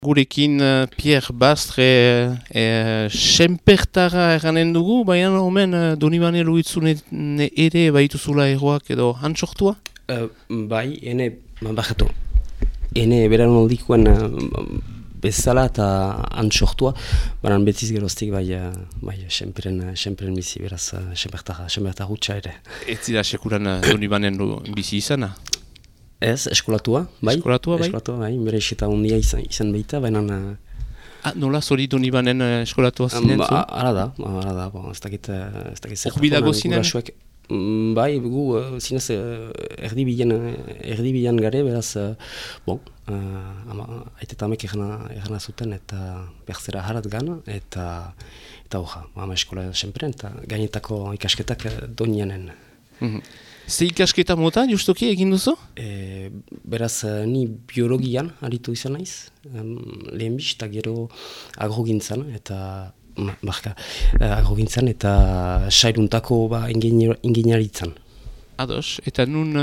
Gurekin Pierre Bastre senpertara eranen dugu, baina omen Donibane Luitzun ere baituzula egoak edo hantxortua? Bai, ene, bajatu. Ene beran oldikoen bezala eta hantxortua, baina betiz geroztik bai senperen bizi, beraz senpertara hutsa ere. Ez zira sekuran Donibanen bizi izana? Ez, eskolatua, bai. Eskolatua, bai, bere iseta hundia izan baita, baina... Nola zori Donibanen eskolatua zinen zu? Ara da, ez dakit... Urbilago zinen? Bai, gu zinez erdibilan gare, beraz, aite eta amek egana zuten eta berzera harat gana, eta hoja, eskola senperen, eta gainetako ikasketak donianen. Ze ikasketa mota, justoki egin duzu? Beraz, ni biologian aritu izan naiz, lehenbiz, eta gero agrogintzan, eta sairuntako ingeniaritzan. Ados, eta nun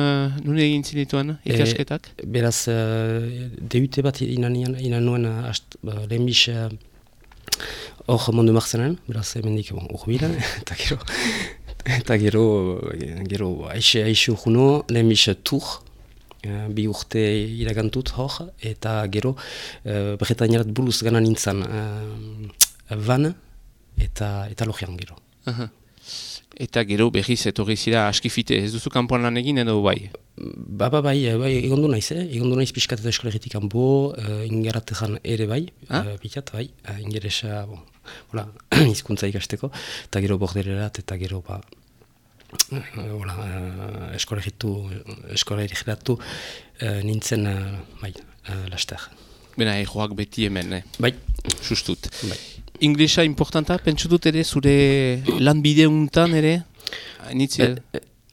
egin zinituen ikasketak? Beraz, deute bat inan nuen lehenbiz hor Mondu Marzenan, beraz, emendik urbilan, eta gero aixe urguno, lehenbiz tur, bi urte iragantut hor, eta gero Bretañarat buruz gana nintzen van eta logian gero. Eta gero behiz etorri zira askifite, ez duzu kanpoan lan egin edo bai? Bai, egondu naiz pixkat eta eskolegitik kanpo, ingaratean ere bai, pikat bai, ingeresa, hizkuntza ikasteko, eta gero bordererat, eta gero eskolegiratu nintzen, laster. Bena, egoak beti hemen, Bai. Justut. Bai. Inglesa importanta, pentsu dut ere, zure lanbide untan ere?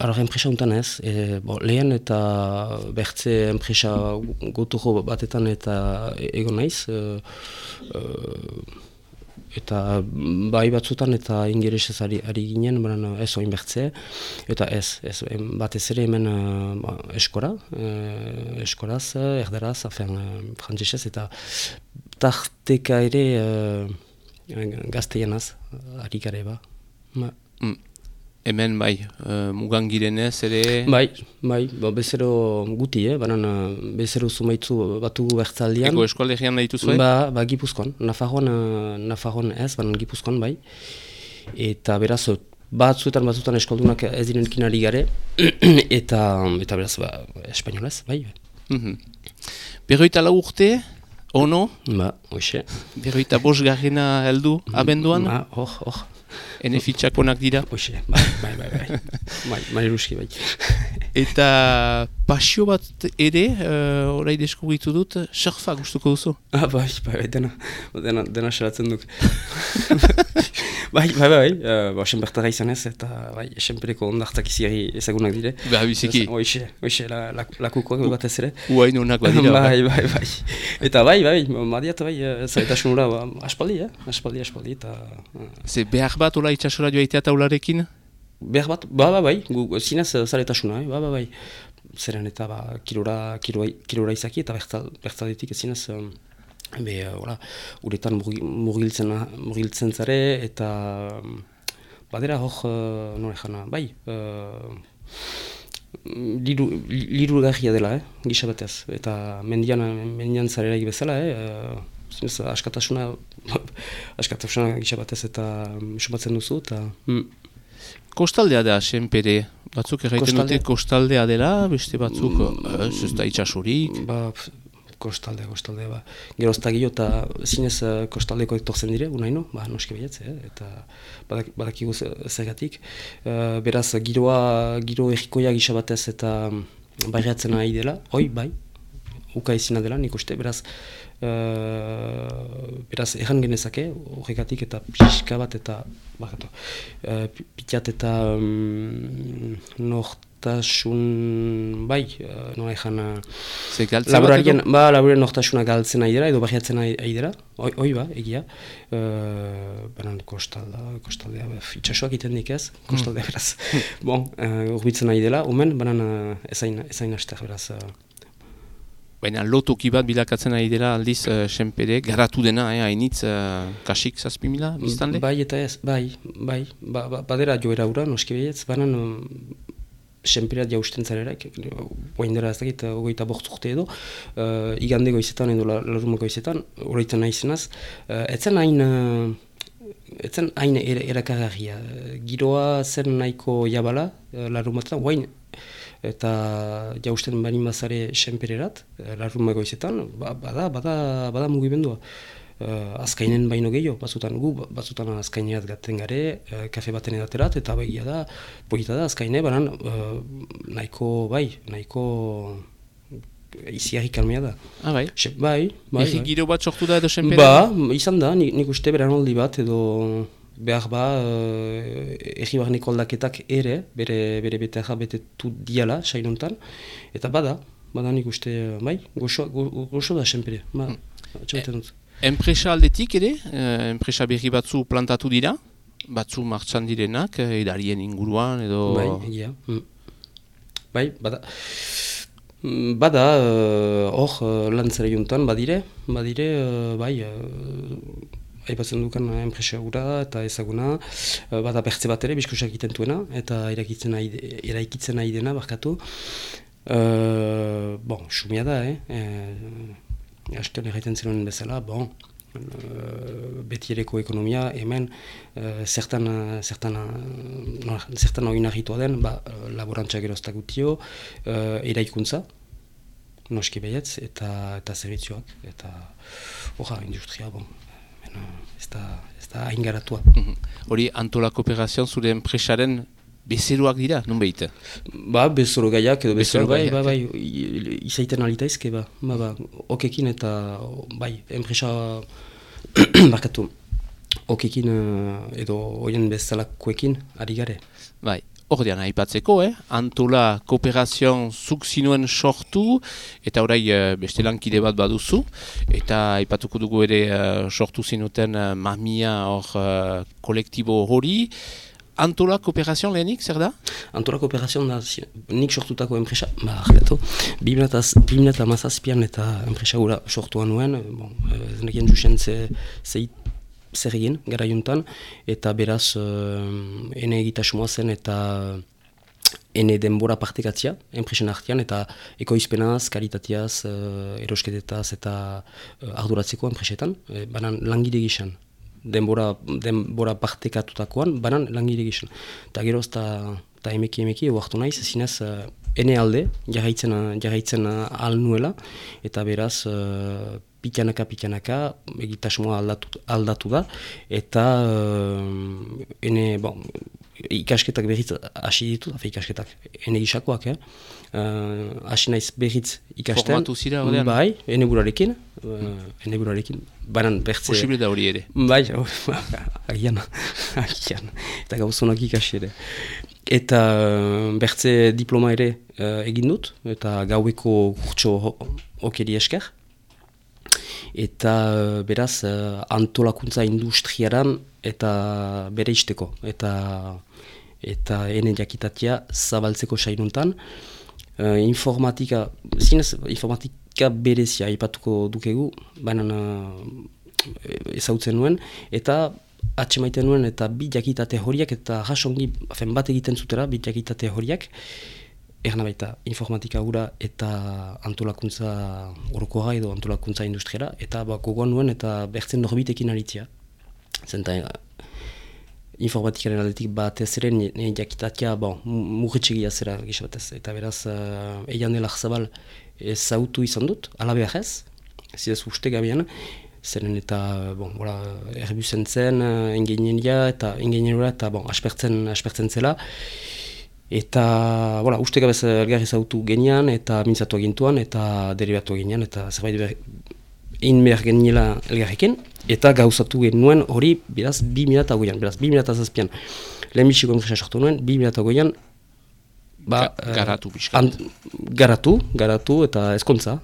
Enpresa untan ez, lehen eta bertze enpresa gotuko batetan eta egon naiz, eta bai batzutan eta ingeresez ari ginen, ez oin bertze, eta ez batez ere hemen eskoraz, erderaz, frantzesez, eta tarteka ere gazteianaz, ari gare ba. Hemen bai, mugan girenez ere... Bai, bezero guti, bezero zumaitzu batugu bertzaldian. Ego eskolegian nahitu zuen? Ba, Gipuzkoan, Nafarroan ez, Gipuzkoan bai. Eta beraz, batzuetan eskoldunak ez direnkin ari gare, eta beraz, espainolez, bai. Berroita lau urte, ono? Ba, hoxe. Berroita bosgarrena heldu abenduan? Ba, hor. Ene fitxakonak dira? Hoxe, bai. Mairuski, bai. Eta pasio bat ere, orai deskubritu dut, surfa gustuko duzu? Bai, dena salatzen duk. Bai, senpertara izan ez, eta senpereko ondartak iziari ezagunak dire. Biziki. Hoxe, lakukoak bat ez ere. Uain honak badira. Bai. Eta madiat, zaretasunura, aspaldi, eta... Ze behar bat ola itxasora joaitea taularekin? Behar bat, bai, gu zinez zaretasuna, bai. Zeren eta kilora izaki eta bertzaldetik zinez, uretan murgiltzen zare eta badera hor, nore jana, bai, liru garria dela, gisa batez, eta mendian zareraik bezala, zinez askatasuna gisa batez eta sumatzen duzu, eta... Kostaldea da, senpere. Batzuk erraiten dute kostaldea dela, beste batzuk ez da itxasurik. Kostaldea, ba. Gerozta gio eta zinez kostaldeko etortzen dire, unaino, noski behiatze, eta badakigu zergatik. Beraz, giro errikoia gisa batez eta barriatzen nahi dela, bai, uka izina dela, nik uste, beraz, erran genezake, horregatik eta pixka bat eta pitat eta nortasun, bai, nola ezan laborarien nortasuna galtzen nahi dira, edo barriatzen nahi dira, egia, banan kostaldea, itxasoak iten dik ez, kostaldea beraz, urbitzen nahi dela, banan ezain aster beraz, Baina lotoki bat bilakatzen ari dela aldiz senpere, garatu dena, hainitz kasik 7.000 biztanle? Bai eta ez, bai, badera joera ura, noski behietz, banan senpereat jausten zareraik, oaindera ez dakit, 25 urte edo, igande goizetan edo laruma goizetan, horretan nahizenaz, etzen hain erakargarria. Giroa zen nahiko jabala, larumatan, oain, eta jausten bani mazare senpererat, larruma goizetan, bada mugimendua. Azkainen baino gehiago, batzutan azkaineat gaten gare, kafe baten edaterat, eta begia da, polita da, azkaine, banan nahiko iziarri kalmea da. Bai? Bai. Giro bat sortu da edo senpere? Izan da, nik uste beranoldi bat edo behar erri barneko aldaketak ere, bere beteja betetu diala, sainuntan, eta bada nik uste, goxo da senpere, atxabaten dut. Enpresa aldetik ere, enpresa berri batzu plantatu dira, batzu martxan direnak, edarien inguruan edo... Bai, egia. Bai, bada, hor lantzera juntan, badire, bai, aipatzen dukan enpresa gura eta ezaguna, bada bertze bat ere, bizkusak egiten duena, eta eraikitzen nahi dena, barkatu. Sumia da, Astean erraiten zenuen bezala, beti ereko ekonomia, hemen zertan oinarritua den, laborantza geroztak gutio, eraikuntza, noski behietz, eta zerbitzuak, eta industria, ez da hain garatua. Hori Antola Kooperazion zure enpresaren bezeroak dira, nun behite? Bezero gaiak edo bezero bai, izaiten alitaizke, okekin eta, enpresa, barkatu, okekin edo oien bezalakoekin ari gare. Bai, hor dian aipatzeko, Antola Kooperazion zuk zinuen sortu, eta orai beste lankide bat baduzu, eta aipatuko dugu ere sortu zinuten mamia hor kolektibo hori. Antola Kooperazion lehenik, zer da? Antola Kooperazion da nik sortutako enpresa, 2017an eta enpresa gura sortuan nuen, ez nekien zuzen zer egin gara juntan, eta beraz ene egitasmoa zen eta ene denbora partekatzia, enpresen artean, eta ekoizpenaz, kalitateaz, erosketetaz eta arduratzeko enpresetan, banan langile gizan. Denbora partekatutakoan, banan langile gizan. Eta gero eta emeki oartu naiz, zinez ene alde, jarraitzen ahal nuela, eta beraz pitanaka, egitasmoa aldatu da, eta ikasketak berriz hasi ditut, ikasketak, ene gisakoak, hasi naiz berriz ikasten. Formatu zira horrean? Bai, ene burarekin, banan bertze... Posible da hori ere? Bai, agian, eta gauzonak ikasi ere. Eta bertze diploma ere egin dut, eta gaueko kurtso okeri esker. Eta beraz antolakuntza industriaran eta bere isteko. Eta ene jakitatea zabaltzeko sainuntan. Informatika berezia aipatuko dukegu, baina ezautzen nuen, eta atxemaiten nuen eta bi jakitate horiak, eta jasongi bat egiten zutera bi jakitate horiak, erna baita informatika gura eta antolakuntza orokoa edo antolakuntza industriara, eta gogoan nuen eta bertzen norbitekin aritzia. Zenta informatikaren aldetik batez ere jakitatea murritxegia zera gisabatez. Eta beraz, eian dela zabal ezautu izan dut, alabeak ez, zidez uste gabian, zeren eta erbuzen zen, ingeniera eta aspertzen zela. Eta, uste gabez elgarri zautu genian, eta mintzatu agintuan, eta deribatu genian, eta zerbait egin behar geniela elgarrekin, eta gauzatu genuen hori, beraz, 2008an, beraz, 2008an, lehenbiziko enpresa sortu nuen, 2008an, garatu pixkat. Garatu, eta ezkontza,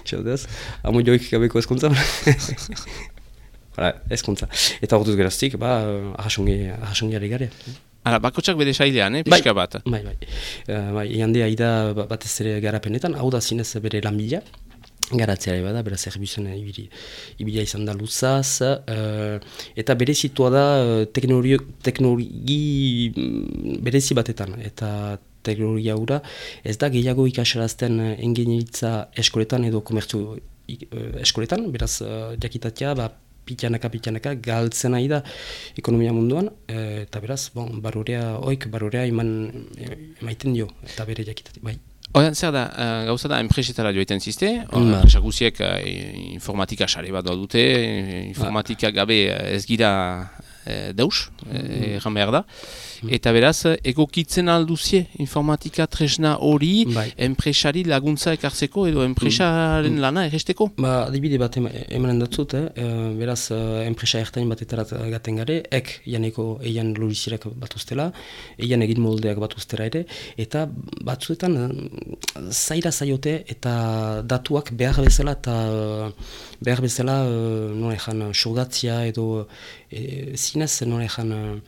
txaldez, amo joik gabeko ezkontza, ezkontza. Eta orduz geraztik, ahasongi ari gare. Ara, bakotsak bere sailean, pixka bat. Bai, jandea ida batez ere garapenetan, hau da zinez bere lanbila, garatzeare bada, bera zerbizuen ibilia izan da luzaz, eta berezitua da teknologi berezi batetan, eta teknologia hura ez da gehiago ikasarazten engineeritza eskoletan edo komertzu eskoletan, beraz jakitatea, pitxanaka galtzen nahi da ekonomia munduan, eta beraz, barorea emaiten dio, eta bere jakitatea, bai. Oian, zer da, gauza da, enpresetara joetan zizte, enpresa guziek informatika sare bat dute, informatika gabe ez gira deus, erran behar da. Eta beraz, egokitzen alduzie informatika tresna hori enpresari laguntza ekartzeko edo enpresaren lana erresteko? Adibide bat emanen datzut, beraz, enpresa ertain batetarat gaten gare, janeko eian logistikoak batuztela, eian egin moldeak batuztera ere, eta batzuetan zaira zaiote eta datuak behar bezala nola ezan sogatzia edo zinez nola ezan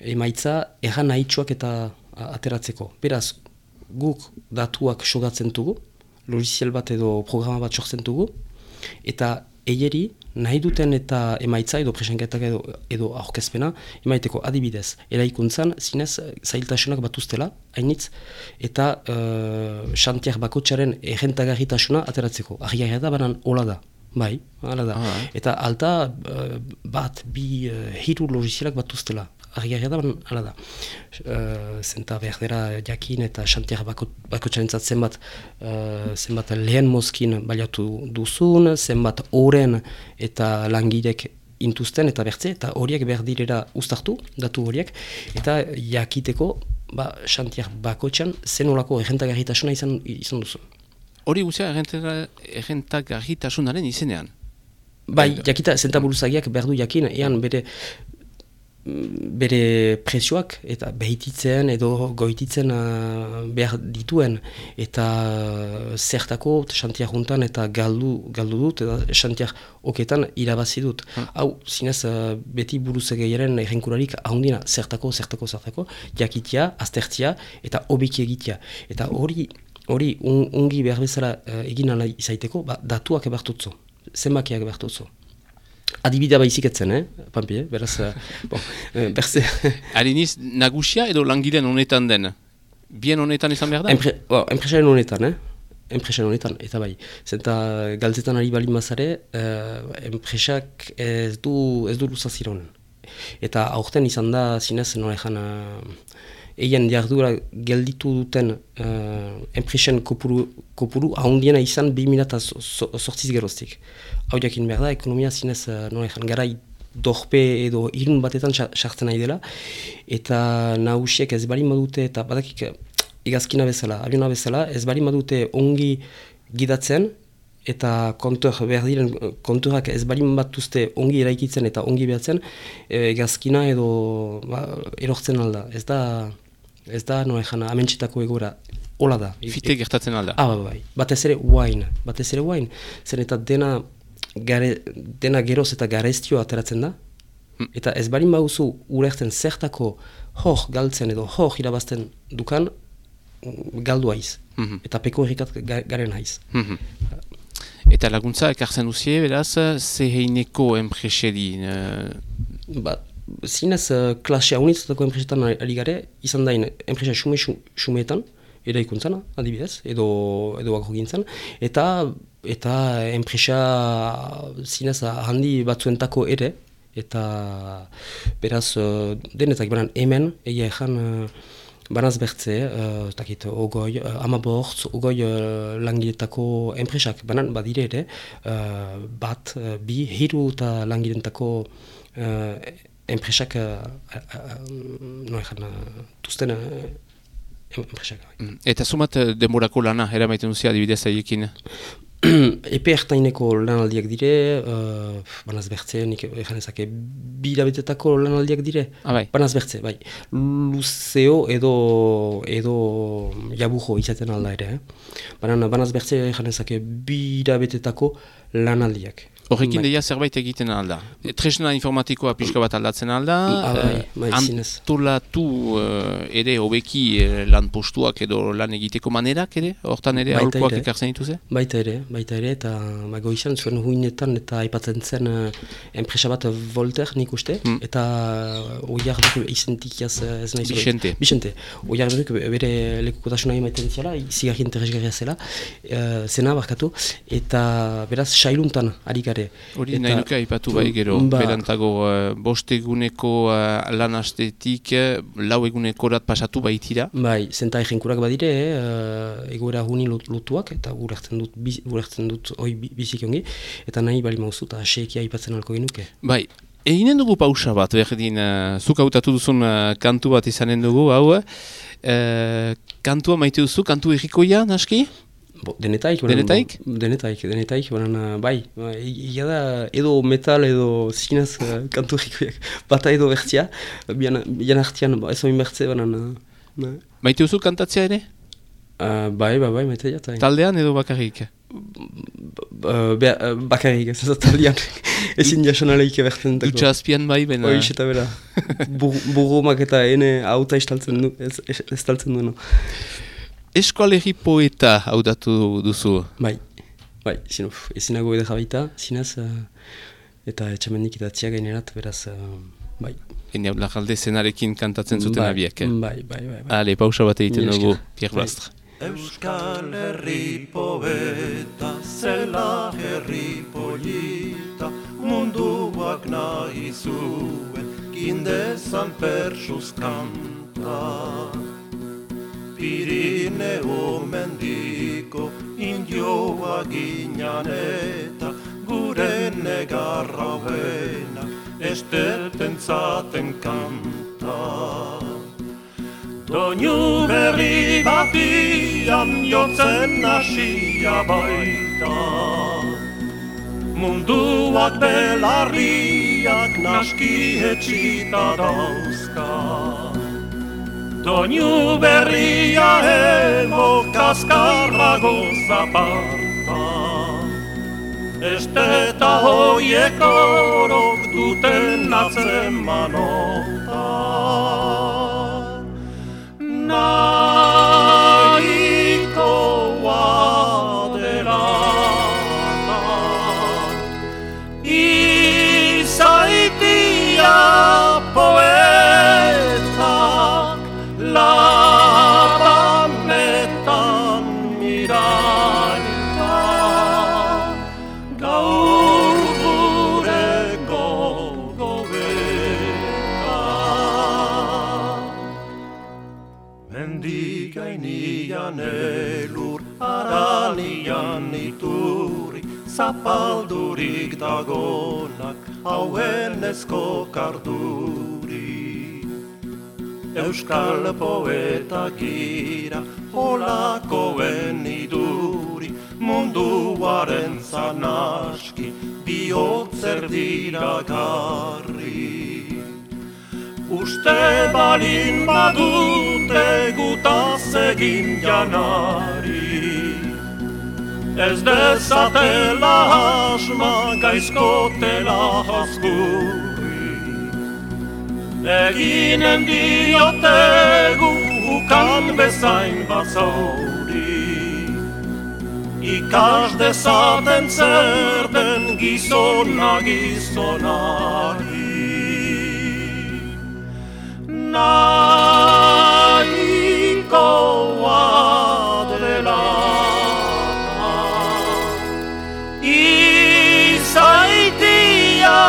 emaitza erran nahitsuak eta ateratzeko. Beraz, guk datuak sogatzen dugu, logiciel bat edo programa bat sortzen dugu, eta eieri nahi duten eta emaitza edo presenketak edo aurkezpena emaiteko adibidez. Eraikuntzan, zinez, zailtasunak batuztela, hainitz, eta xantiak bakotxaren errentagarritasuna ateratzeko. Argiagia da, banan hola da. Bai, hala da. Eta alta bat, bi, hiru logicielak batuztela. Argiagia da, hala da. Zenta berdera jakin eta xantiak bakotxarentzat zenbat lehen mozkin baliatu duzun, zenbat oren eta langirek intuzten eta bertze, eta horiek berdirera uztartu, datu horiek, eta jakiteko xantiak bakotxan zenolako errentagarritasuna izan duzu. Hori guzia errentagarritasunaren izenean? Bai, jakita zentaburuzagiak berdu jakin, ean bere presioak eta behititzen edo goititzen behar dituen eta zertako xantiak juntan eta galdu dut eta xantiak oketan irabazi dut. Hau, zinez, beti buruzegeiaren errenkurarik ahondina zertako, jakitia, aztertia eta obiki egitea. Eta hori ungi behar bezala egin ala izaiteko, datuak ebartutzu, zenbakiak ebartutzu. Adibidea baizik etzen, Pampi, beraz, berze... Ariniz, nagusia edo langileen honetan den? Bien honetan izan behar da? Enpresaren honetan, enpresan honetan, eta bai. Zenta galtzetan ari bali mazare, enpresak ez du luzazira honen. Eta aurten izan da, zinez, nola ezan, eien jardura gelditu duten enpresen kopuru ahondiena izan 2008 geroztik. Hau jakin behar da, ekonomia zinez garai dorpe edo irun batetan sartzen nahi dela, eta nahusiek ez bali madute, eta badakik igazkina bezala, abiona bezala, ez bali madute ongi gidatzen, eta behar diren konturak ez bali batuzte ongi eraikitzen eta ongi behatzen, igazkina edo erortzen alda. Ez da amentsetako egora. Hola da. Fite gertatzen alda. Bai. Batez ere wine. Zer eta dena geroz eta garestioa ateratzen da. Eta ez barin baduzu urertzen zertako hor galtzen edo hor irabazten dukan galdu haiz. Eta peko errikat garen haiz. Eta laguntza ekartzen duzie, beraz, zeheineko enpreseri? Zinez, klasea unitzatako enpresetan ari gare, izan dain enpresa xumeetan, eraikuntzana, adibidez, edo agrogintzan, eta enpresa zinez handi batzuentako ere, eta beraz denetak banan hemen, egia ezan banaz bertze, ogoi, amabortz, ogoi langiletako enpresak, banan badire ere, bat, bi, hiru eta langiletako enpresak tuzten enpresak. Eta zumat denborako lana, eramaiten duzia adibidez haiekin? Epe ertaineko lanaldiak dire, banaz bertze, nik eganezake bilabetetako lanaldiak dire. Bai. Banaz bertze, bai. Luzeo edo jabujo izaten alda ere. Banaz bertze eganezake bilabetetako lanaldiak. Horrekin deia zerbait egiten alda. Tresna informatikoa pixka bat aldatzen alda, antolatu ere hobeki lan postuak edo lan egiteko manerak ere, hortan ere aholkoak ekartzen dituze? Baita ere, eta goizan zuen huinetan eta aipatzen zen enpresa bat Volter nik uste, eta oiarduk izentik ez nahi zuen. Bixente. Oiarduk bere lekukotasuna emaiten ziala, zigarri interesgarria zela, zena barkatu, eta beraz sailuntan harik gare. Hori nahi nuke aipatu bai gero, berantago bost eguneko lan astetik lau egunekorat pasatu baitira. Bai, zenta egenkurak badire, egoera huni lotuak, eta gurektzen dut hoi bizik ongi, eta nahi bali mauzu, eta aseekia aipatzen alko genuke. Bai, eginen dugu pausa bat, berdin, zuk hautatu duzun kantu bat izanen dugu, hau, kantua maite duzu, kantu errikoia, naski? Denetaik, bai, ia da edo metal edo zinez kantu errikoiak, bata edo bertzia, bian artian ez oin bertze, Maite duzu kantatzea ere? Bai, maite jatai. Taldean edo bakarrik? Bakarrik, ez da taldean, ezin jasonaleik ebertzen. Dutxa azpian bai, bena? Hoiz eta bera, burrumak eta ene auta ez taltzen dueno. Eskualerri poeta haudatu duzu? Bai, ezinago edera baita, zinez, eta etxamendik idatzia gainerat, beraz, bai. Ene hau lagalde zenarekin kantatzen zuten abiek, Bai. Ale, pausa bat egiten dugu, Pierre Bastre. Euskal herri poeta, zela herri polita, munduak nahi zuen, kindezan persuz kanta. Pirineo mendiko indioa ginean eta gure negarra hoena esteten zaten kanta. Doinu berri batian jotzen hasia baita, munduak belarriak naski etxita dauzka. Doinu berria emo kaskarrago zaparta, esteta hoiek orok duten atzemanota. Nahikoa delata, izaitia poeta, labanetan miraita, gaur gure gogobeta. Mendigainian elur, aranian iturri, zapaldurik dagonak, hauen ezko karduri. Euskal poeta gira, holakoen iduri, munduaren zanaski, bihotzer dira garri. Uste balin badute gutaz egin janari, ez dezatela asma gaizkotela haskurri. Eginen diotegu ukan bezain bazauri, ikas dezaten zer den gizonari. Nahikoa delata, izaitia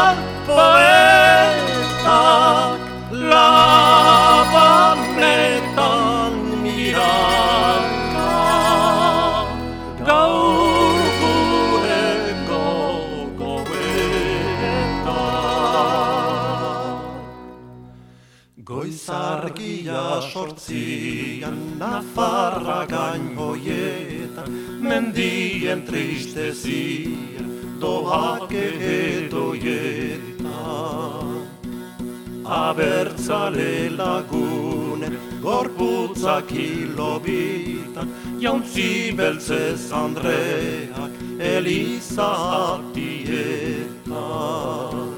poetak, labanetan miraita, gaur gure gogobeta. Goizargia sortzian, Nafarra gain hoietan, mendien tristezia, doake edoietan. Abertzale lagun honen gorputzak hilobitan, jauntzi beltzez Andreak elizatietan.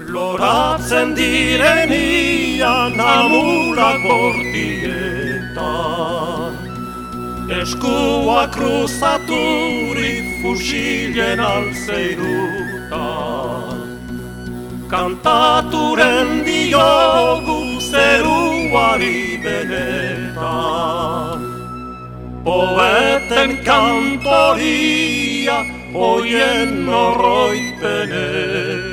Loratzen direnian amulak bortietan, eskua kruzaturik fusilen alzeirutan, kantaturen diogu zeruari benetan, poeten kantoria oien oroitpenetan.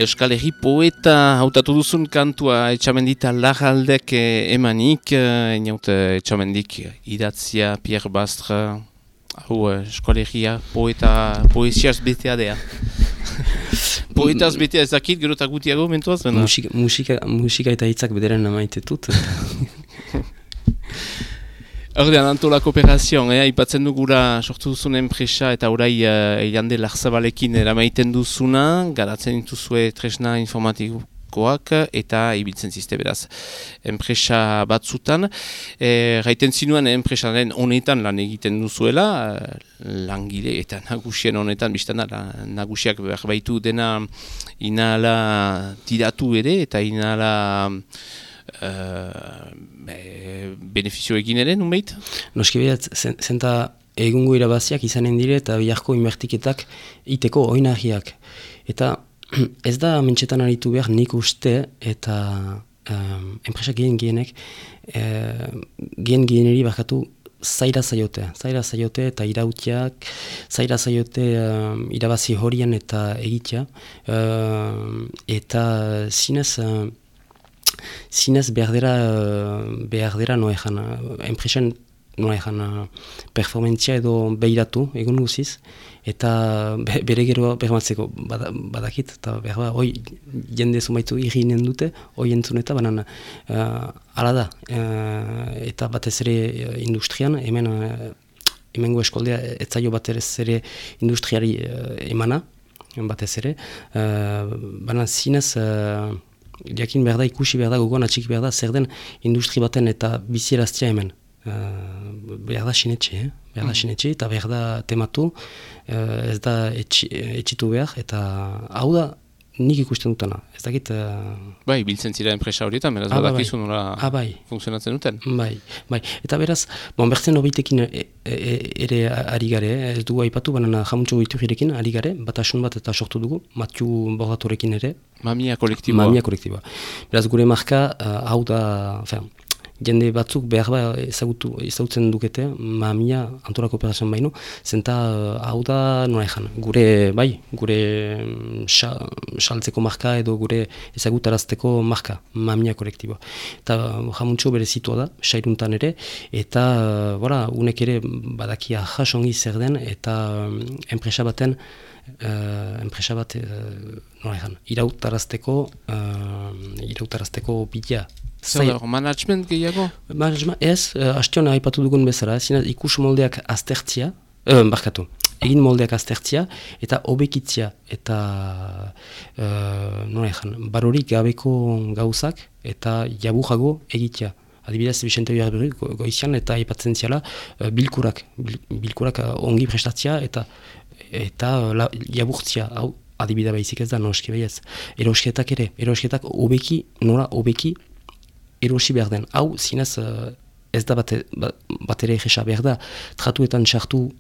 Euskal Herri poeta hautatu duzun kantua Etxamendita Larraldek emanik, inaut Etxamendik idatzia Pierre Bastre, hau Euskal Herria poesiaz betea dea. Poetaz betea ez dakit, gero eta gutiago mentuaz? Musika eta hitzak bederen amaitetut. Ordean, Antola Kooperazion, ipatzen dugura sortu duzun enpresa eta orai Jande Larzabalekin eramaiten duzuna, garatzen dituzue tresna informatikoak eta ibiltzen zizte beraz. Enpresa batzutan, gaiten zinuen enpresaren honetan lan egiten duzuela, langile eta nagusien honetan, biztana nagusiak berbaitu dena inala tiratu ere eta inala benefizio egin ere, nunbait? Noski behat, zenta egungo irabaziak izanen dire eta biharko inbertiketak iteko oinahiak. Eta ez da mentxetan aritu behar nik uste eta enpresa gehienek gehieneri bakatu zaira zaiote eta irautiak, zaira zaiote irabazi horien eta egitea. Eta zinez behar dira noejan, enpresen noejan performentzia edo behiratu egun guziz, eta bere gero bermatzeko badakit, eta behar hoi jende zumaitu irrinen dute, hoi entzun eta banan ala da, eta batez ere industrian, hemengo eskoldea etzaio batez ere industriari emana, batez ere, banan zinez jakin behar da, ikusi behar da, gogoan atxiki behar da, zer den industri baten eta bizieraztia hemen. Behar da sinetxe, eta behar da tematu, ez da etxitu behar, eta hau da nik ikusten dutena. Ez dakit... Bai, biltzen zira enpresa horietan, beraz badakizu nola funtzionatzen duten. Bai, eta beraz, bertzen obitekin ere ari gare, ez dugu aipatu, baina jamuntxo biturirekin ari gare, batasun bat eta sortu dugu, Mathieu Bordatorekin ere. Mamia kolektiboa. Beraz, gure marka, hau da, jende batzuk behar ezagutzen dukete, Mamia Antola Kooperazion baino, zenta hau da nola ezan, gure saltzeko marka edo gure ezagutarazteko marka, Mamia kolektiboa. Eta jamuntxo bere zitua da, sairuntan ere, eta unek ere badakia jasongi zer den, eta enpresa bat nola ezan, irautarazteko bidea. Zer management gehiago? Management ez, hastiona aipatu dugun bezala, ikus moldeak aztertzia, egin moldeak aztertzia, eta obekitzia, eta barorik gabeko gauzak, eta jabujago egitea. Adibidez, Vicente Biarberri goizian, eta aipatzen ziala bilkurak ongi prestatzia, eta jaburtzia, hau adibida baizik ez da, noski baiez. Erosketak obeki erosi behar den. Hau, zinez, ez da bat ere egesa behar da, tratuetan sartu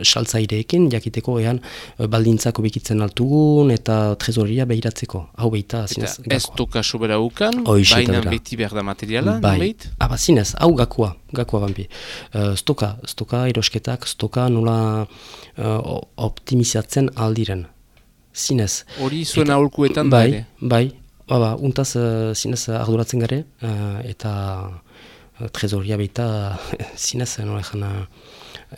saltzaireekin, jakiteko ean baldintzako bekitzen altugun eta trezoria behiratzeko. Hau behita, zinez, gakoa. Ez toka sobera ukan, baina beti behar da materiala, nubeit? Aba, zinez, hau gakoa bambi. Stoka erosketak, stoka nola optimizatzen aldiren. Zinez. Hori zuen aholkuetan da ere? Bai. Untaz zinez arduratzen gare, eta trezoria behita zinez,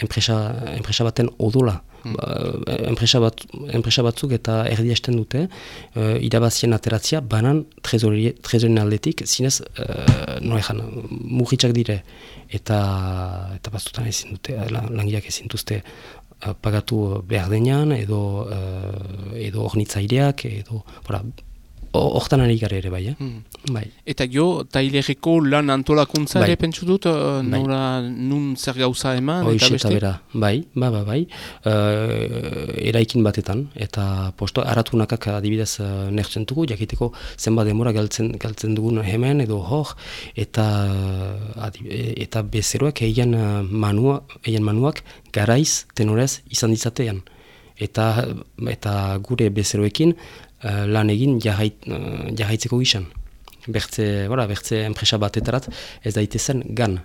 enpresa baten odola enpresa batzuk eta erdiesten dute irabazien ateratzia banan trezorien aldetik zinez mugitzak dire eta batzutan ezin dute langileak ezin duzte pagatu behar denean edo ornitzaileak edo hortan ari gara ere bai, bai. Eta tailerreko lan antolakuntza ere pentsu dut, nun zer gauza eman, eta beste? Bera, bai. Eraikin batetan, eta aratunakak adibidez nertzen dugu, jakiteko zenbat demora galtzen dugun hemen edo hor, eta bezeroak egin manuak garaiz tenorez izan ditzatean. Eta gure bezeroekin lan egin jarraitzeko gizan. Bertze enpresa batetarat ez daitezen gan.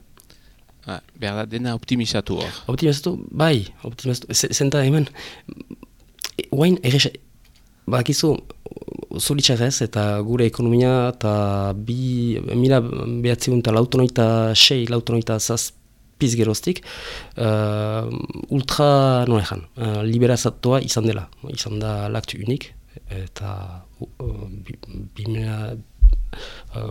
Behar da, dena optimizatu hor. Optimizatu. Zenta hemen, guain bakizu zoritxarrez eta gure ekonomia eta 1996 geroztik ultra liberazatua izan dela. Izan da laktu unik. Eta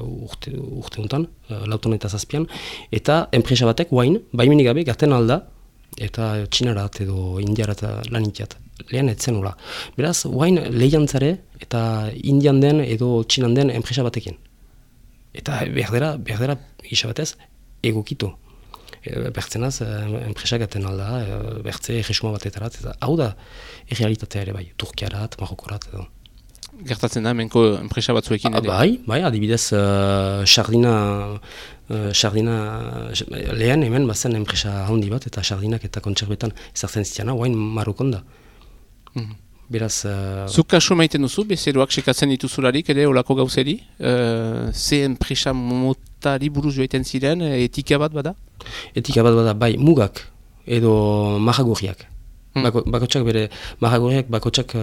urte honetan, lauton eta zazpian, eta enpresa batek guain, baimenik gabe garten alda, eta txinarat edo indiarat lan itiat. Lehen etzen hola. Beraz, guain lehiantzare eta indian den edo txinan den enpresa batekin. Eta berdera gisa batez, egokitu. Bertzenaz, enpresa gaten alda, bertze egisuma batetarat, eta hau da errealitatea ere bai, Turkiarat, Marokorat edo. Gertatzen da, menko enpresa batzuekin ere? Bai, adibidez, sardina lehen hemen bazen enpresa handi bat, eta sardinak eta kontserbetan ezartzen zitiana, guain Marokon da. Beraz... Zuk kasu maiten duzu, bezeroak sekatzen dituzularik ere olako gauzeri? Ze enpresa motari buruz joaiten ziren, etika bat bada? Etika bat bada, bai, mugak edo mahagurriak. Bakotsak bere, mahagurriak bakotsak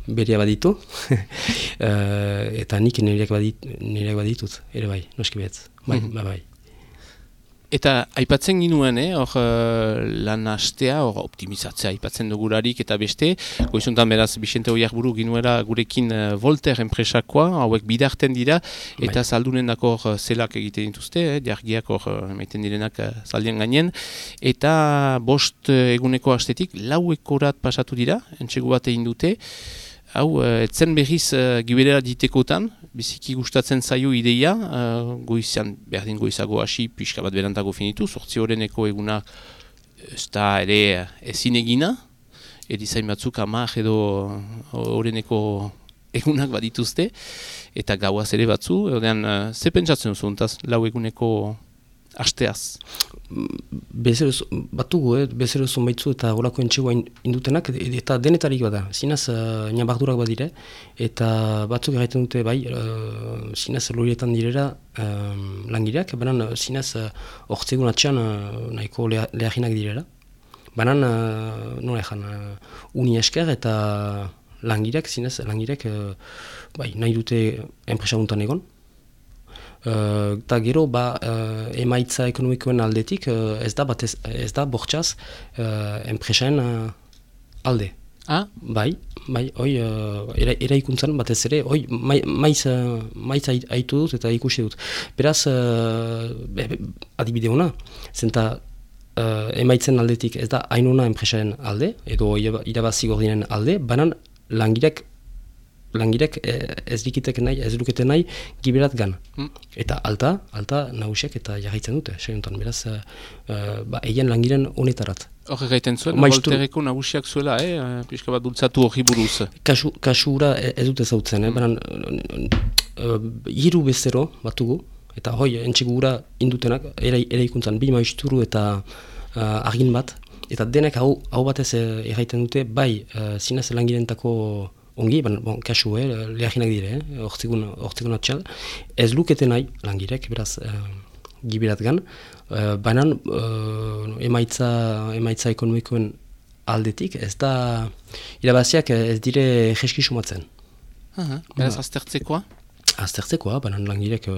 berea baditu, eta nik nireak baditut, ere bai, noski behetz. Bai. Eta aipatzen ginuen, hor lan hastea, hor optimizatzea aipatzen dugularik eta beste, goizuntan beraz Bixente Oiarburu ginuela gurekin Volter enpresakoa, hauek bidarten dira, eta zaldunen dako zelak egiten dituzte, jargiak hor emaiten direnak zaldien gainen, eta 5 eguneko hastetik 4 ekorat pasatu dira, entsegu bat egin dute, hau, etzen berriz gibelera ditekotan, biziki gustatzen zaio ideia, goizan, berdin goizago hasi, pixka bat berantago finitu, 8 horreneko eguna ez da ere ezin egina, erizain batzuk 10 edo horreneko egunak badituzte, eta gauaz ere batzu, ordean, ze pentsatzen duzu, 4 eguneko hasteaz? Bezero zonbaitzu eta horako entxegoa indutenak, eta denetarik bada. Zinaz, nabardurak badire, eta batzuk erraiten dute, bai, zinaz lorietan direra langireak, baina zinaz ortsegun atxean nahiko lehaginak direra. Baina, nola ezan, uni esker eta langireak, zinaz, langireak, bai, nahi dute enpresa guntan egon. Eta gero, emaitza ekonomikoen aldetik ez da bortxaz enpresaen alde. Bai, hoi eraikuntzan batez ere, hoi maiz aitu dut eta ikusi dut. Beraz, adibide hona, zenta emaitzen aldetik ez da hainuna enpresaen alde, edo irabazi gordinen alde, banan langirek ez lukete nahi giberat gan. Eta alta nagusiak eta jarraitzen dute, seguntan, beraz, egin langiren honetarat. Hor egiten zuen, Voltereko nagusiak zuela, pixka bat bultzatu hori buruz. Kasura ez dute zautzen, baina hiru bezero batugu, eta hoi, entxegura indutenak, eraikuntzan, 2 maisturu eta argin bat, eta denek hau batez egiten dute, bai, zinez langirentako ongi, kasu, lehaginak dire, ortsegun atxal, ez lukete nahi langirek, beraz, giberat gan, baina emaitza ekonomikoen aldetik, ez da, irabaziak ez dire jeski sumatzen. Beraz, aztertzekoa? Aztertzekoa, baina langirek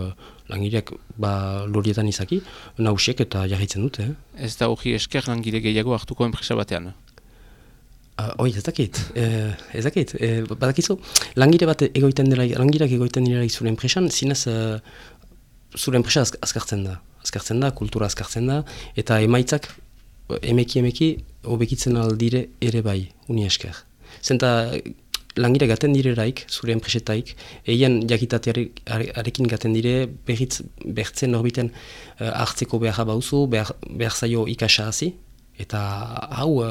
lorietan izaki, nagusiek eta jarraitzen dute. Ez da hori esker langire gehiago hartuko enpresa batean? Ez dakit, badakizu, langileak egoiten dira zure enpresan, zinez zure enpresa azkartzen da, kultura azkartzen da, eta emaitzak emeki hobekitzen aldire ere bai, uni esker. Zenta langileak gaten direraik, zure enpresetaik, eian jakitatearekin gaten dire, bertzen norbiten hartzeko behar bauzu, behar zaio ikasa hazi, eta hau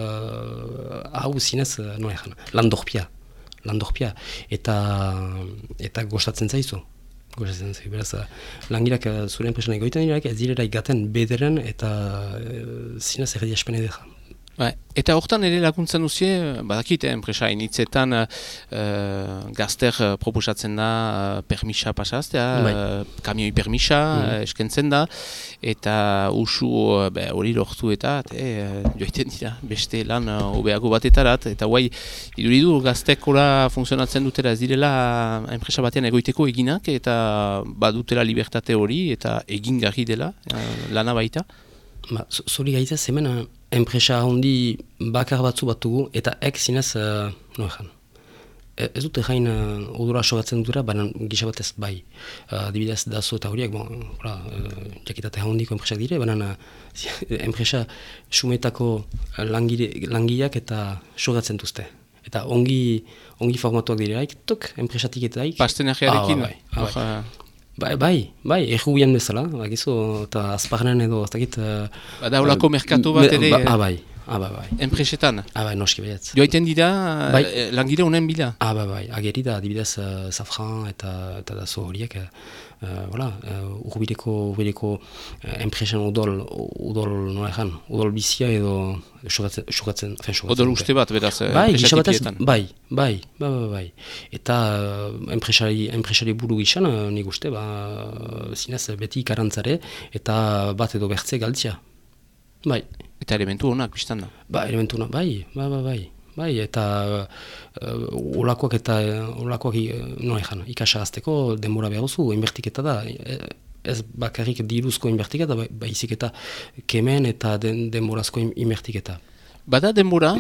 zinez, landorpia, eta gostatzen zaizu. Beraz, langileak zure enpresan egoiten diraik, ez direraik gaten bederen, eta zinez erdi espene deja. Eta hortan ere laguntzen duzie, badakit, enpresa initzetan gazter proposatzen da permisa pasaztea, kamioi permisa eskentzen da, eta usu hori lortu eta joiten dira, beste lan hobeago batetarat, eta guai, iduridu gaztekola funtzionatzen dutela ez direla enpresa batean egoiteko eginak, eta badutela libertate hori, eta egin garri dela, lana baita. Zori gaitaz, hemen enpresa handi bakar batzu batugu, eta zinez, ez dute jain odora sogatzen dutera, baina gisa batez bai. Adibidez dazo eta horiek, jakitate handiko enpresak dire, baina enpresa sumetako langileak eta sogatzen duzte. Eta ongi formatuak direlaik, enpresatik eta daik. Pastenajearekin? Bai, errubian bezala, eta azparnen edo, ez dakit... Bada holako merkatu bat ere... Bai. Enpresetan? Bai, noski baietz. Joaiten dira langile honen bila? Bai, ageri da, adibidez, Safran eta dazo horiek, urbileko enpresan udol bizia edo xogatzen. Odol uste bat, beraz, enpresatikietan? Bai. Eta enpresari buru gizan, nik uste, zinez beti ikarantzare, eta bat edo bertze galtzia. Bai. Eta elementu honak, biztan da? Elementu honak, bai, eta olakoak ikasa azteko denbora behar duzu, inbertiketa da. Ez bakarrik diruzko inbertiketa, baizik eta kemen eta denborazko inbertiketa. Bada denbora,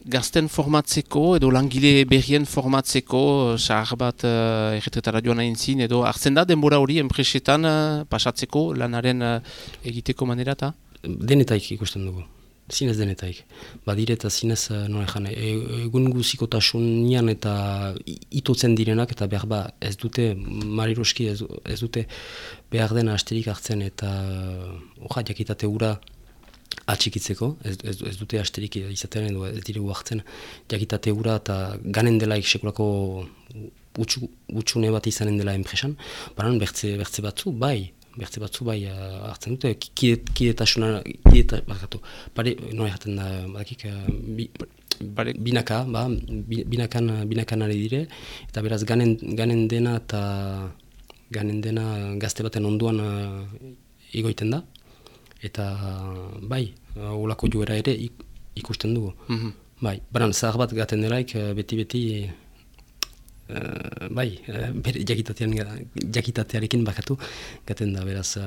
gazten formatzeko edo langile berrien formatzeko, sahar bat erretretara joan hain zin, edo hartzen da denbora hori enpresetan pasatzeko lanaren egiteko manerata? Denetaik ikusten dugu, zinez denetaik. Badire eta zinez, egun guzikotasunean eta itotzen direnak, eta behar ez dute, mariroski ez dute behar dena asterik hartzen, eta jakitate hura atxikitzeko, ez dute asterik izaten edo ez diregu hartzen, jakitate hura eta ganen delaik sekulako utxune bat izanen dela enpresan, banan bertze batzu bai hartzen dute, binakan ari dire, eta beraz ganen dena gazte baten onduan egoiten da, eta bai, olako joera ere ikusten dugu. Bai, baran zahar bat gaten delaik beti bere jakitatearekin bakatu gaten da, beraz,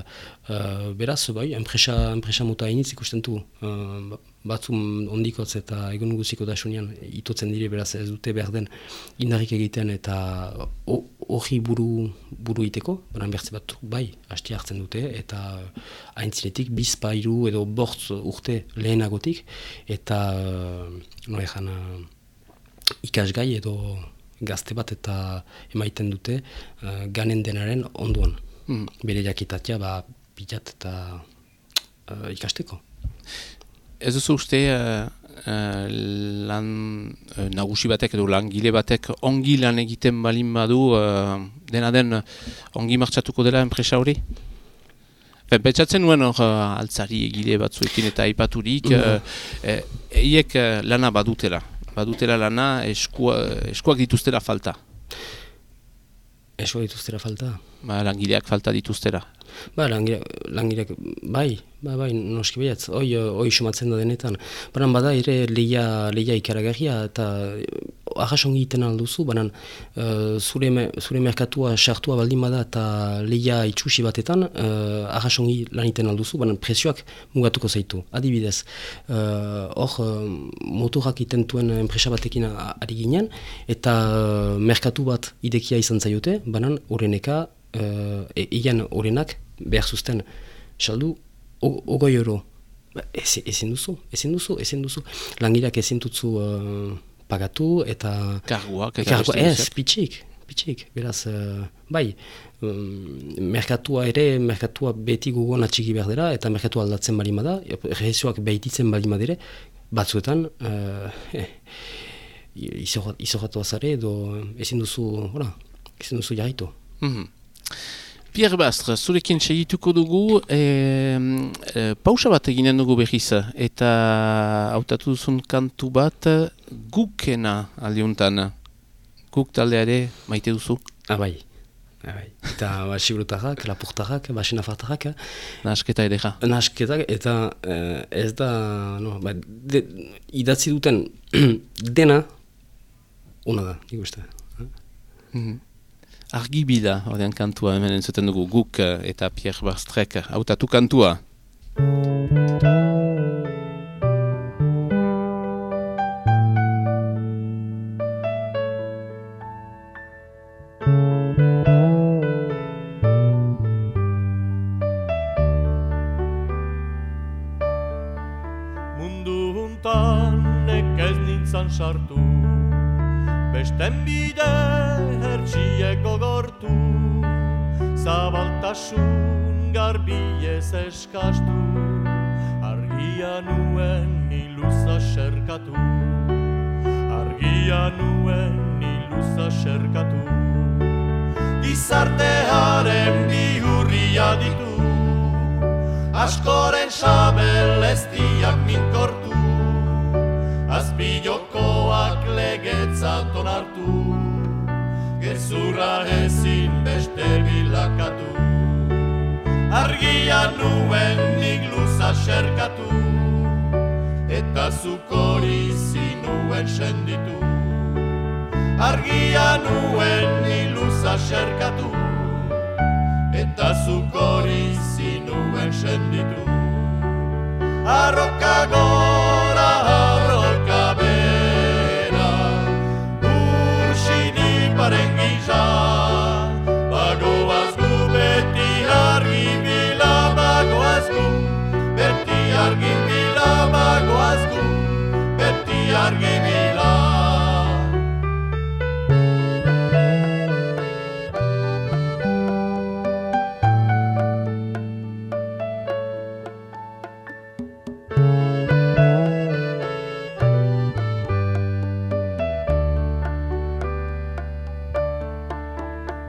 bai, enpresa muta initz ikusten du, batzun ondikotz eta egun guziko dasunean itotzen dire, beraz ez dute behar den indarrik egiten eta hori buru iteko, baina bertze bat bai, hasti hartzen dute, eta haintzinetik bizpairu edo bortz urte lehenagotik, eta ikasgai edo gazte bat eta emaiten dute ganen denaren onduan. Bere jakitatea pilat eta ikasteko. Ez duzu uste lan nagusi batek edo langile batek ongi lan egiten balin badu dena den ongi martxatuko dela enpresa hori? Pentsatzen nuen altzari egile batzuekin eta aipaturik eiek lana badutela lana, eskuak dituztera falta. Eskuak dituztera falta? Langileak falta dituztera. Langileak, bai, noski behatz, hoi somatzen da denetan. Baina bada ere lehia ikaragarria, eta arrasongi egiten alduzu, baina zure merkatua sartua baldin bada eta lehia itxusi batetan, arrasongi lan egiten alduzu, baina prezioak mugatuko zaitu. Adibidez, motorak egiten duen enpresa batekin ari ginen, eta merkatu bat idekia izan zaiote, baina horreneka, egan horrenak behar zuzten saldu 20 euro. Ezin duzu. Langileak ezin dutzu pagatu eta... Karguak pitxik. Beraz, bai, merkatua beti gogon atxiki behar dira, eta merkatua aldatzen bali da, rezioak behititzen bali madire, batzuetan, izorratu azare edo ezin duzu jarraitu. Pierre Bastre, zurekin segituko dugu, pausa bat eginen dugu behiz, eta hautatu duzun kantu bat gukena aldiuntan. Guk taldeare maite duzu? Bai. Eta siburutarrak, lapurtarrak, basenafartarrak. Nahasketa edera. Nahasketak, eta ez da, idatzi duten dena, ona da, nik uste. Argibila, ordean kantua, hemen entzuten dugu guk eta Pierre Bastrek hautatu kantua. Mundu huntan nekez nintzan sartu, besten bide hertsiek gogortu, zabaltasun garbiez eskastu, argia nuen iluza serkatu, gizartearen bihurria ditu, askoren sabeleztiak minkortu, azpilokoak legetzat onartu, gezurra ezin beste bilakatu. Argia nuen nik luza serkatu, eta zuk hori zinuen senditu. Argia nuen nik luza serkatu, eta zuk hori zinuen senditu. Arroka gora, arroka bera, ursin iparen gisa, bagoaz gu beti argi bila, bagoaz gu beti argi bila, bagoaz gu beti argi bila.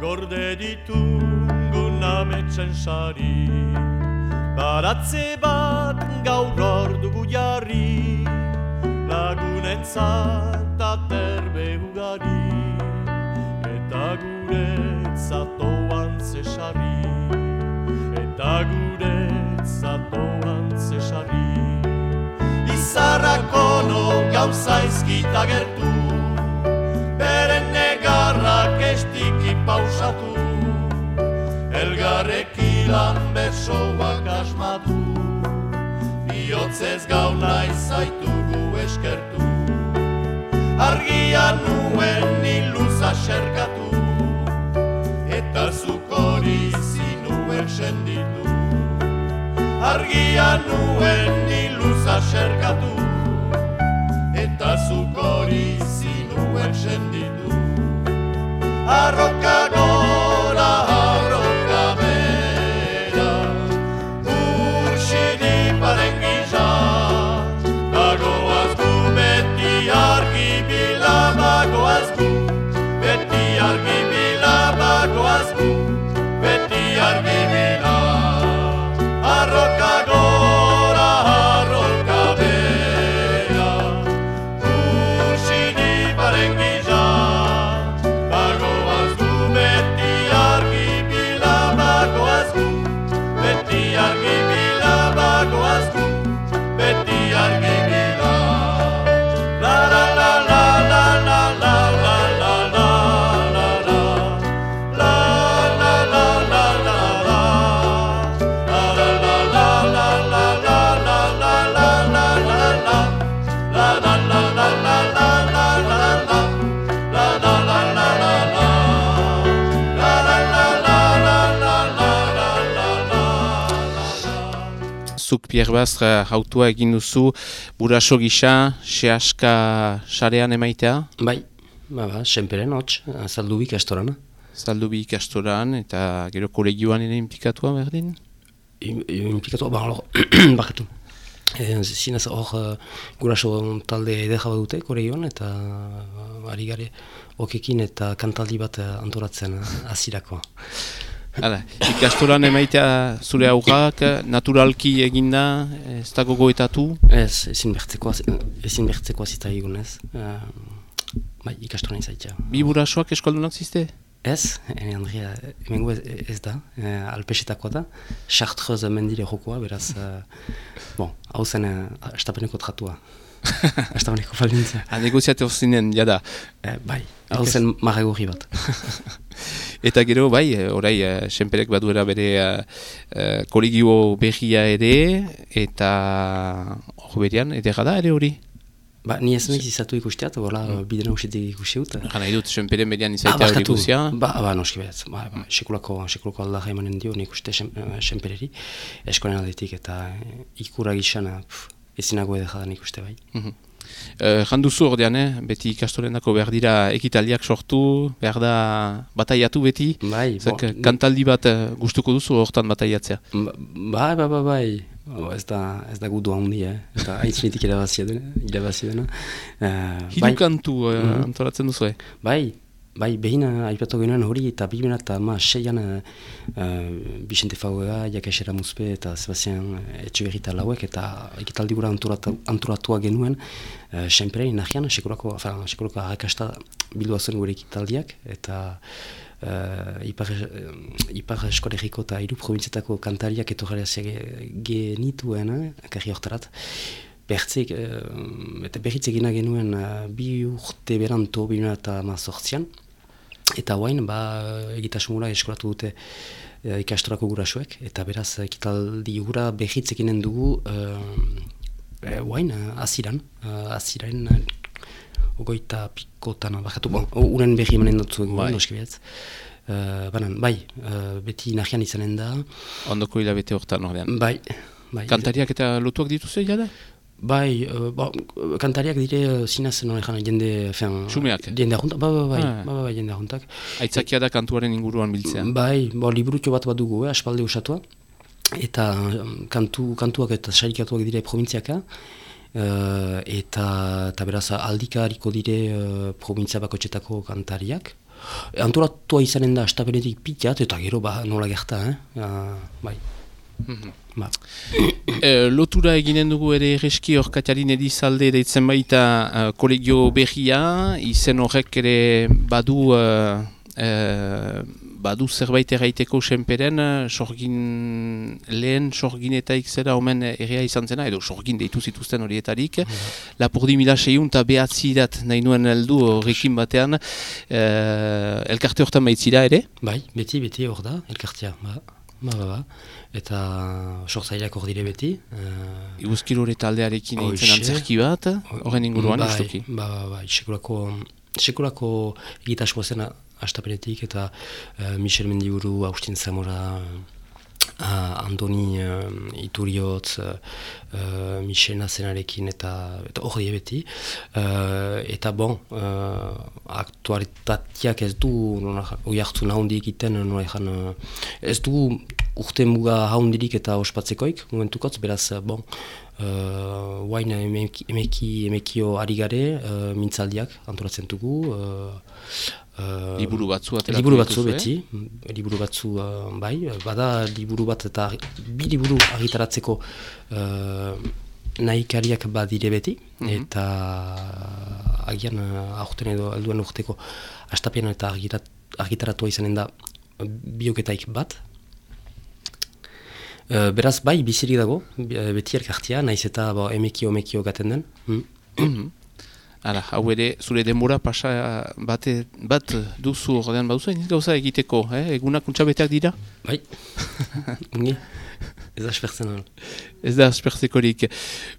Gorde ditugun ametsen sari, baratze bat gaur ordugu jarri, lagunentzat aterbe ugari, eta guretzat oan zesarri, Izarrak ono gauza ezkita gertu, beren negarrak estiki pausatu, elgarrekilan bersoak asmatu, bihotzez gau nahi zaitugu eskertu. Argia nuen iluza serkatu, eta zuk hori zinuen senditu. Argia nuen iluza serkatu, eta zuk hori zinuen senditu. Arroka gora, arroka bera, ursin iparen gisa, bagoaz gu beti argi bila, bagoaz gu beti argi bila, bagoaz gu beti argi bila. Arroka gora, arroka bera, zuk Pierre Bastre hautua egin duzu buraso gisa, sehaska sarean emaitea? Bai, senperen hotz, Zaldubi ikastoran. Zaldubi ikastoran eta gero kolegioan ere inplikatua berdin? Inplikatua, bakatu. Zinez hor guraso talde edera dute kolegioan eta ari gare okekin eta kantaldi bat antolatzen azirako. Hala, ikastoran emaitea zure aurrak, naturalki eginda, ez dago goetatu? Ez, ezin bertzeko azita egunez. Bai, ikastoran izaitea. Bi burasoak eskoldunak ziste? Ez, Andrea, emengo ez da, alpesetakoa da, Chartreuz mendire jokoa, beraz, hau zen astapeneko tratua. Astapeneko faldintza. Negoziatu zinen, jada. Bai, hau zen marregorri bat. Eta gero, bai, orai, senperek baduera bere kolegio berria ere, eta hor berean, edera da ere hori? Ni ez nahiz izatu ikusteat, bidena usetik ikusteut. Gana idut, senperen berean izaitea hori guzia? Noski behaz, sekulako aldarra emanen dio, nik uste senpereri, eskolen aldetik eta ikura gizan ezinago edera da nik uste bai. Janduzu ordean, beti ikastorendako behar dira ekitaliak sortu, behar da bataiatu beti? Bai. Kantaldi bat gustuko duzu hortan bataiatzea? Bai. Ez da gudu handi, eta haintzinitik irabazi dena. Hiru kantu antolatzen duzu, Bai, behin aipatu genuen hori eta 2006an Bixente Fauega, Jakesera Muzpe eta Sebastian Etxeberrita lauek eta ekitaldi gura antolatua genuen senperein nahian, sekulako harrakasta bildua zuen gure ekitaldiak eta Ipar Eskolegiko eta hiru probintzietako kantariak etorrarazia genituen, karri hortarat. Eta berriz egina genuen 2 urte beranto 2018an. Eta guain, egitasmura eskolatu dute ikastorako gurasoek. Eta beraz, ekitaldi gura berriz eginen dugu guain, aziran. Ogoita pikotan, uren berri emanen dutzu egun, noski behatz. Beti nahian izanen da. Ondoko hilabete hortan ordean. Bai. Kantariak eta lotuak dituzu jada? Bai, kantariak dire zinaz norejan jende... Xumeak? Jende ahuntak, bai, jende ahuntak. Aitzakia da kantuaren inguruan biltzean? Bai, liburutxo bat dugu, aspalde usatua. Eta kantuak eta saikatuak dire provintziaka. Eta beraz aldika hariko dire provintzia bakotxetako kantariak. Antolatua izanen da astapenetik pitat eta gero nola gerta, bai. Lotura eginen dugu ere erreski hor Katarin Edizalde deitzen baita kolegio berria, izen horrek ere badu zerbait erraiteko senperen, lehen sorginetaik zera omen errea izan zena, edo sorgin deitu zituzten horietarik. Lapurdi 1600 eta behatzirat nahi nuen heldu horrekin batean, elkarte hortan baitzira ere? Bai, beti hor da, elkartea, eta sortzaileak hor dire beti. Iguzkilore taldearekin egiten antzerki bat, horren inguruan ustoki? Bai, sekulako egitasmoa zena astapenetik eta Michel Mendiburu, Agustin Zamora, Andoni Ituriotz, Michel Nazenarekin eta hor die beti. Eta aktualitateak ez du hori hartu nahondik egiten, ez du urte muga haundirik eta ospatzekoik momentukotz, beraz, guain emekio ari gare, mintzaldiak antolatzen dugu. Liburu batzu beti, liburu batzu bai, bada liburu bat eta bi liburu argitaratzeko nahikariak badire beti, eta agian aurten edo alduen urteko astapean eta argitaratua izanen da bioketaik bat. Beraz, bai, bizirik dago, beti elkartia, naiz eta emekio gaten den. Hala, hau ere, zure denbora pasa bat duzu ordean baduzu, gauza egiteko, egunak untxabeteak dira? Bai, ungi. Ez da aspertzen. Ez da aspertzekorik.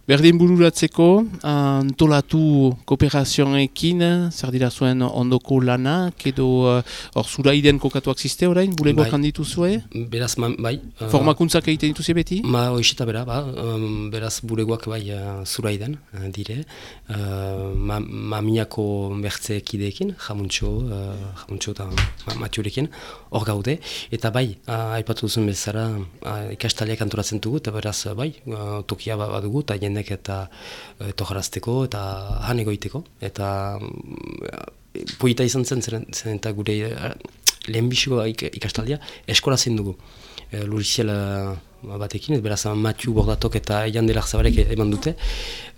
Berdin bururatzeko, antolatu kooperazioekin, zer dira zuen ondoko lanak, edo hor zura iden kokatuak ziste orain, bulegoak handitu zue? Beraz, bai. Formakuntzak egiten dituzi beti? Hoxeta bera, beraz bulegoak bai zura iden, dire. Mamiako bertzeekideekin, jamuntxo eta Matiorekin, hor gaude. Eta bai, aipatu duzun bezala, ikastaliak antolatzen dugu, eta beraz, bai, tokia badugu, eta jendek eta tojarazteko, eta han egoiteko. Eta poita izan zen eta gure lehenbiziko ikastaldia eskola zen dugu. Luriziel batekin, beraz Matiu Bordatok eta Jandelar Zabarek eman dute.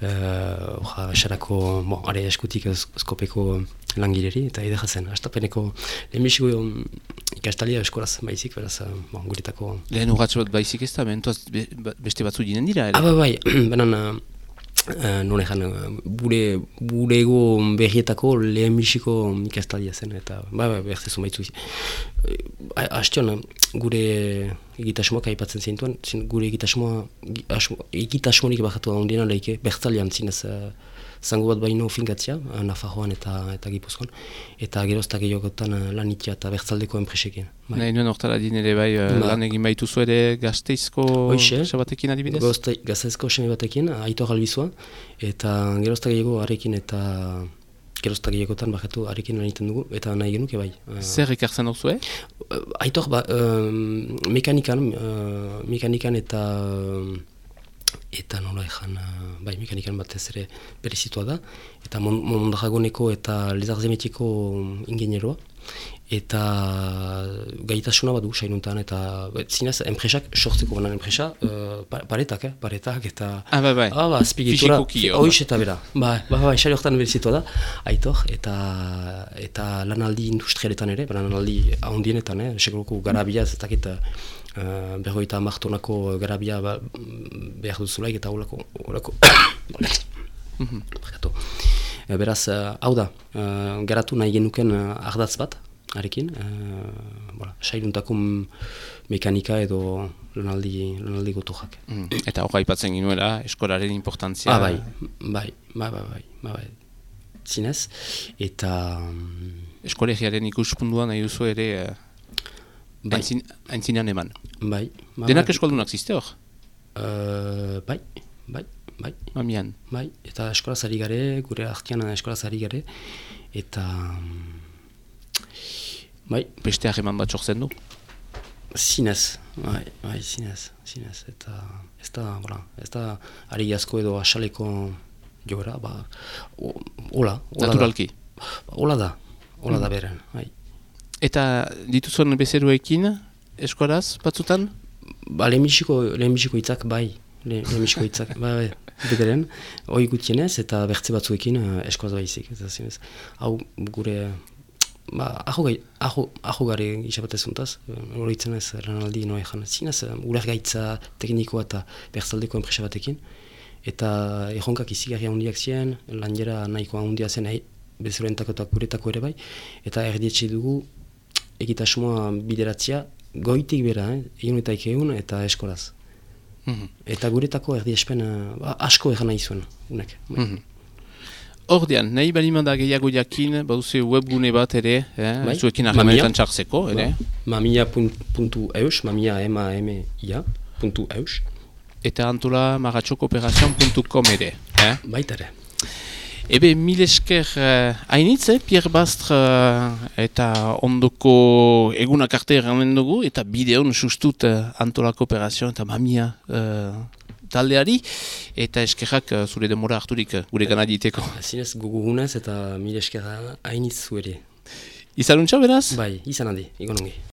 Esarako, are eskutik eskopeko langileri, eta edera zen. Astapeneko lehenbiziko ikastalia eskolaz baizik, beraz, guretako... Lehen urratxo bat baizik ez da, beste batzu ginen dira, ere? Bai, benan... non ezan, burego berrietako lehenbiziko ikastalia zen, eta bertzezu baitzu. Hastion, gure egitasmoak aipatzen zintuen, gure egitasmorik bajatu da ondiena lehike, bertzalian zinez zango bat baino finkatzia, Nafarroan eta Gipuzkoan, eta geroztak gehiagotan lanitia eta bertzaldeko enpresekin. Nahi nuen hortara dinere bai, lan egin baituzu ere Gasteizko sebatekin adibidez? Gasteizko seme batekin, Aitor Albizua, eta geroztak gehiago arekin eta geroztak gehiagotan bajatu arekin lan egiten dugu, eta nahi genuke bai. Zer ekartzen duzu, Aitor, mekanikan eta nola ezan, bai, mekanikan batez ere berezitua da, eta Mondragoneko eta Lezarzemetiko ingenieroa, eta gaitasuna bat du sainuntan, eta zinez, enpresak sortzeko banan enpresa, paretak, eta... bai, azpigitura, hoiz eta bera, esari horretan berezitua da, Aitor, eta lanaldi industrialetan ere, lanaldi ahondienetan, sekuloko garabia, ez dakit, berroita amartonako garabia behar duzulaik eta horako beraz, hau da, garatu nahi genuken ardatz bat, arekin, sailuntako mekanika edo lanaldi gotojak. Eta hor aipatzen ginuela, eskolaren importantzia. Bai, zinez, eta... Eskolegiaren ikuspuntua nahi duzu ere... Aintzinean eman. Bai. Denak eskoldunak ziste hor? Bai. Mamian. Bai, eta eskolaz ari gare, gure artean eskolaz ari gare, eta... Bai. Beste hageman bat sortzen du? Zinez, zinez, eta ez da ari asko edo asaleko jogera, hola. Naturalki? Hola da beren, bai. Eta dituzuen bezeruekin eskolaz batzutan? Lehenbiziko hitzak, lehenbiziko hitzak, bederen, hoi gutienez eta bertze batzuekin eskolaz baizik. Hau gure, aho gare isabatezuntaz, horitzen ez lanaldi noa ezan. Zinez, uler gaitza teknikoa eta bertzaldeko enpresa batekin, eta erronkak izigarria handiak ziren, lanjera nahikoa handia zen, bezeruentako eta guretako ere bai, eta erdietxe dugu, egitasmoa bideratzea goitik bera, egun eta eskolaz. Eta guretako erdiespen asko egan nahi zuen. Ordean, nahi balimanda gehiago jakin, baduze webgune bat ere, zuekin ahemanetan txartzeko, ere? Mamia.eus, mamia.eus. Eta antola maratxokooperazioan.com ere. Baita ere. Ebe, mil esker hainitz, Pierre Bastre eta ondoko egunak arte erranen dugu, eta bideon sustut Antola Kooperazioa eta Mamia taldeari, eta eskerrak zure demora harturik gure gana diteko. Zinez gugunez eta mil esker hainitz zuere. Izanuntza beraz? Bai, izan handi, egon ongi.